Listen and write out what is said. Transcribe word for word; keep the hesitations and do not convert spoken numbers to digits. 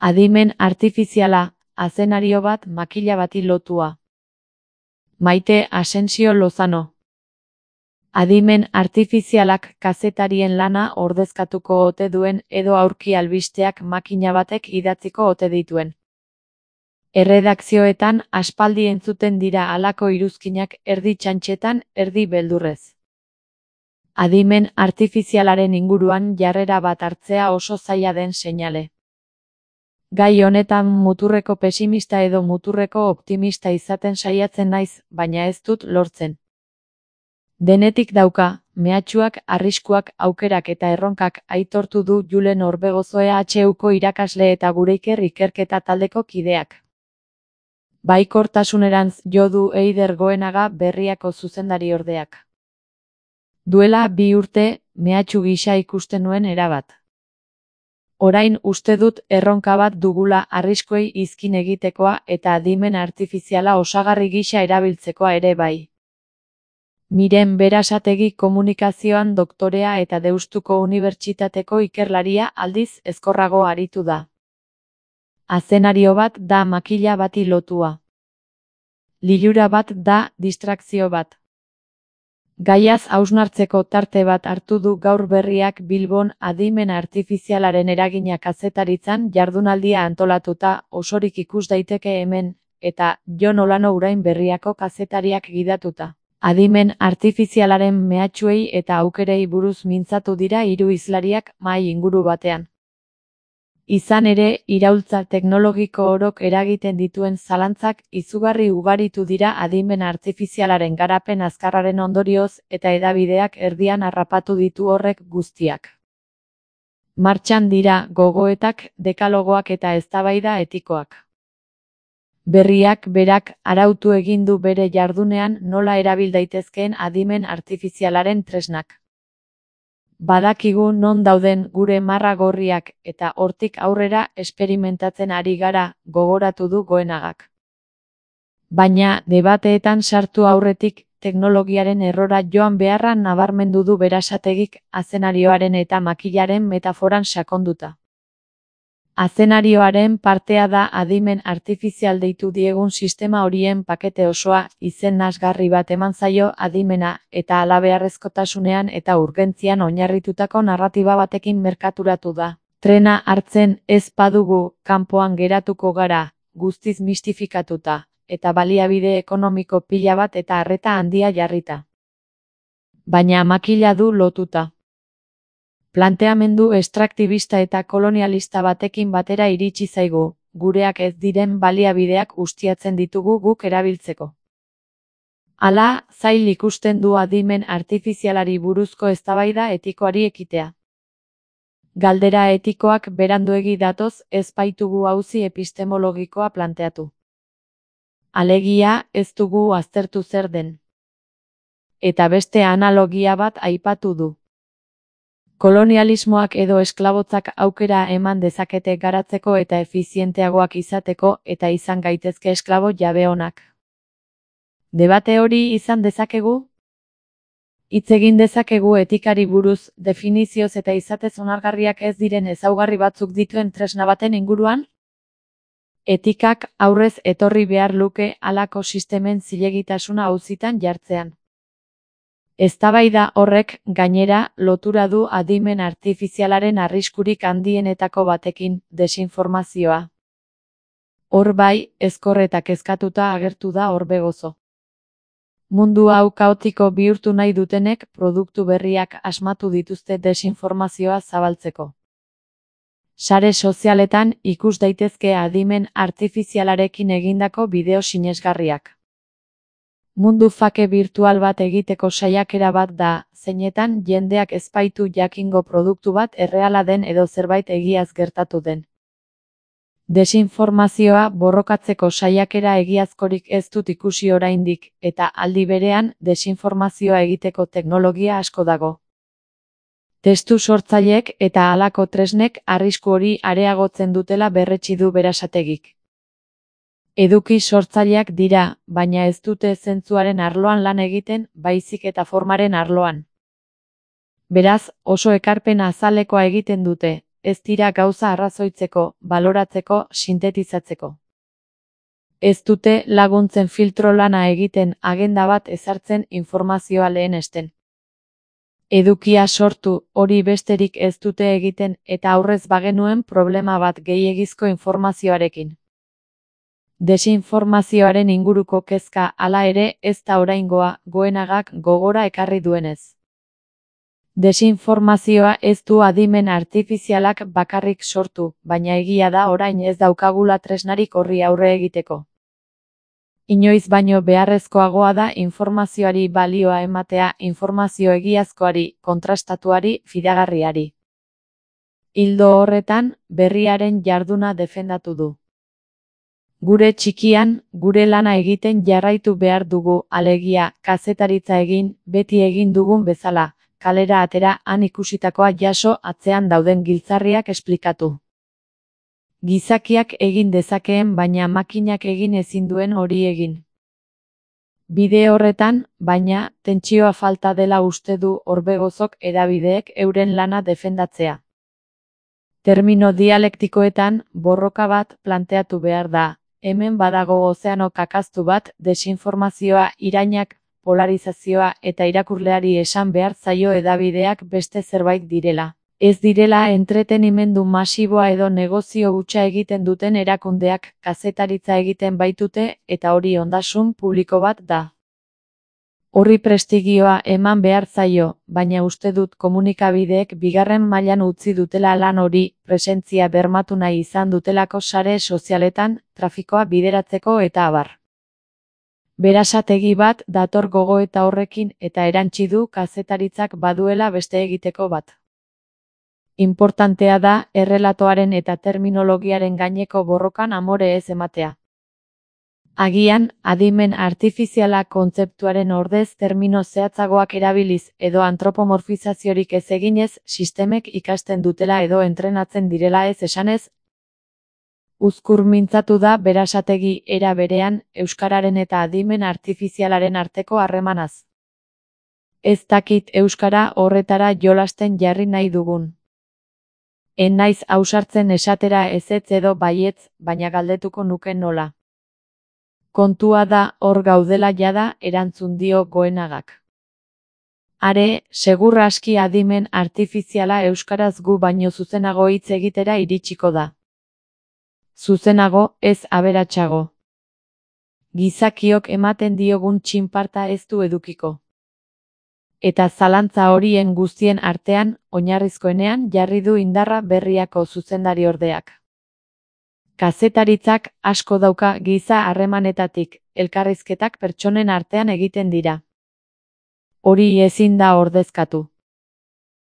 Adimen artifiziala, azenario bat makila bati lotua. Maite Asensio Lozano. Adimen artifizialak kazetarien lana ordezkatuko ote duen edo aurki albisteak makina batek idatziko ote dituen. Erredakzioetan aspaldi entzuten dira halako iruzkinak erdi txantxetan, erdi beldurrez. Adimen artifizialaren inguruan jarrera bat hartzea oso zaila den seinale. Gai honetan muturreko pesimista edo muturreko optimista izaten saiatzen naiz, baina ez dut lortzen. Denetik dauka, mehatxuak, arriskuak, aukerak eta erronkak aitortu du Julen Orbegozo E H Uko irakasle eta Gureiker ikerketa taldeko kideak. Baikortasunerantz jo du Eider Goenaga Berriako zuzendari ordeak. Duela bi urte, mehatxu gisa ikusten nuen erabat. Orain uste dut erronka bat dugula arriskuei izkin egitekoa eta adimen artifiziala osagarri gisa erabiltzekoa ere bai. Miren Berasategi komunikazioan doktorea eta Deustuko Unibertsitateko ikerlaria aldiz ezkorrago aritu da. Azenario bat da makila bati lotua. Lilura bat da distrakzio bat. Gaiaz hausnartzeko tarte bat hartu du Gaur Berriak Bilbon adimen artifizialaren eragina kazetaritzan jardunaldia antolatuta, osorik ikus daiteke hemen, eta Jon Olano Urain Berriako kazetariak gidatuta. Adimen artifizialaren mehatxuei eta aukerei buruz mintzatu dira hiru hizlariak mahai inguru batean. Izan ere, iraultza teknologiko orok eragiten dituen zalantzak izugarri ugaritu dira adimen artifizialaren garapen azkarraren ondorioz eta hedabideak erdian harrapatu ditu horrek guztiak. Martxan dira gogoetak, dekalogoak eta eztabaida etikoak. Berriak berak arautu egin du bere jardunean nola erabil daitezkeen adimen artifizialaren tresnak. Badakigu non dauden gure marra gorriak eta hortik aurrera esperimentatzen ari gara, gogoratu du Goenagak. Baina, debateetan sartu aurretik, teknologiaren errora joan beharra nabarmendu du Berasategik azenarioaren eta makilaren metaforan sakonduta. Azenarioaren partea da adimen artifizial deitu diegun sistema horien pakete osoa, izen nasgarri bat eman zaio adimena eta halabeharrezkotasunean eta urgentzian oinarritutako narratiba batekin merkaturatu da. Trena hartzen ez badugu, kanpoan geratuko gara, guztiz mistifikatuta, eta baliabide ekonomiko pila bat eta arreta handia jarrita. Baina makila du lotuta. Planteamendu estraktibista eta kolonialista batekin batera iritsi zaigu, gureak ez diren baliabideak ustiatzen ditugu guk erabiltzeko. Hala, zail ikusten du adimen artifizialari buruzko eztabaida etikoari ekitea. Galdera etikoak beranduegi datoz ez baitugu auzi epistemologikoa planteatu. Alegia, ez dugu aztertu zer den. Eta beste analogia bat aipatu du. Kolonialismoak edo esklabotzak aukera eman dezakete garatzeko eta efizienteagoak izateko eta izan gaitezke esklabo jabe onak. Debate hori izan dezakegu? Hitz egin dezakegu etikari buruz, definizioz eta izatez onargarriak ez diren ezaugarri batzuk dituen tresna baten inguruan? Etikak aurrez etorri behar luke halako sistemen zilegitasuna auzitan jartzean. Eztabaida horrek, gainera, lotura du adimen artifizialaren arriskurik handienetako batekin, desinformazioa. Hor bai, ezkor eta kezkatuta agertu da Orbegozo. Mundu hau kaotiko bihurtu nahi dutenek produktu berriak asmatu dituzte desinformazioa zabaltzeko. Sare sozialetan ikus daitezke adimen artifizialarekin egindako bideo sinesgarriak. Mundu fake virtual bat egiteko saiakera bat da, zeinetan jendeak ez baitu jakingo produktu bat erreala den edo zerbait egiaz gertatu den. Desinformazioa borrokatzeko saiakera egiazkorik ez dut ikusi oraindik, eta aldi berean desinformazioa egiteko teknologia asko dago. Testu sortzaileek eta halako tresnek arrisku hori areagotzen dutela berretsi du Berasategik. Eduki sortzaileak dira, baina ez dute zentzuaren arloan lan egiten, baizik eta formaren arloan. Beraz, oso ekarpen azalekoa egiten dute, ez dira gauza arrazoitzeko, baloratzeko, sintetizatzeko. Ez dute laguntzen filtro lana egiten, agenda bat ezartzen, informazioa lehenesten. Edukia sortu, hori besterik ez dute egiten, eta aurrez bagenuen problema bat gehiegizko informazioarekin. Desinformazioaren inguruko kezka, hala ere, ez da oraingoa, Goenagak gogora ekarri duenez. Desinformazioa ez du adimen artifizialak bakarrik sortu, baina egia da orain ez daukagula tresnarik horri aurre egiteko. Inoiz baino beharrezkoagoa da informazioari balioa ematea, informazio egiazkoari, kontrastatuari, fidagarriari. Ildo horretan, berriaren jarduna defendatu du. Gure txikian, gure lana egiten jarraitu behar dugu, alegia, kazetaritza egin, beti egin dugun bezala, kalera atera, han ikusitakoa jaso, atzean dauden giltzarriak esplikatu. Gizakiak egin dezakeen baina makinak egin ezin duen hori egin. Bide horretan, baina, tentsioa falta dela uste du Orbegozok hedabideek euren lana defendatzea. Termino dialektikoetan, borroka bat planteatu behar da. Hemen badago ozeano kakaztu bat, desinformazioa, irainak, polarizazioa eta irakurleari esan behar zaio hedabideak beste zerbait direla. Ez direla entretenimendu masiboa edo negozio hutsa egiten duten erakundeak, kazetaritza egiten baitute, eta hori ondasun publiko bat da. Horri prestigioa eman behar zaio, baina uste dut komunikabideek bigarren mailan utzi dutela lan hori, presentzia bermatu nahi izan dutelako sare sozialetan, trafikoa bideratzeko eta abar. Berasategi bat dator gogoeta horrekin eta erantsi du kazetaritzak baduela beste egiteko bat. Inportantea da, errelatoaren eta terminologiaren gaineko borrokan amore ez ematea. Agian, adimen artifiziala kontzeptuaren ordez termino zehatzagoak erabiliz edo antropomorfizaziorik ez eginez, sistemek ikasten dutela edo entrenatzen direla ez esanez, uzkur mintzatu da berasategi era berean, euskararen eta adimen artifizialaren arteko harremanaz. Ez dakit euskara horretara jolasten jarri nahi dugun. En naiz ausartzen esatera ezetz edo baietz, baina galdetuko nuke nola. Kontua da hor gaudela jada erantzun dio Goenagak. Are, segur aski adimen artifiziala euskaraz gu baino zuzenago hitz egitera iritsiko da. Zuzenago, ez aberatsago. Gizakiok ematen diogun txinparta ez du edukiko. Eta zalantza horien guztien artean, oinarrizkoenean jarri du indarra Berriako zuzendariordeak. Kazetaritzak asko dauka giza harremanetatik, elkarrizketak pertsonen artean egiten dira. Hori ezin da ordezkatu.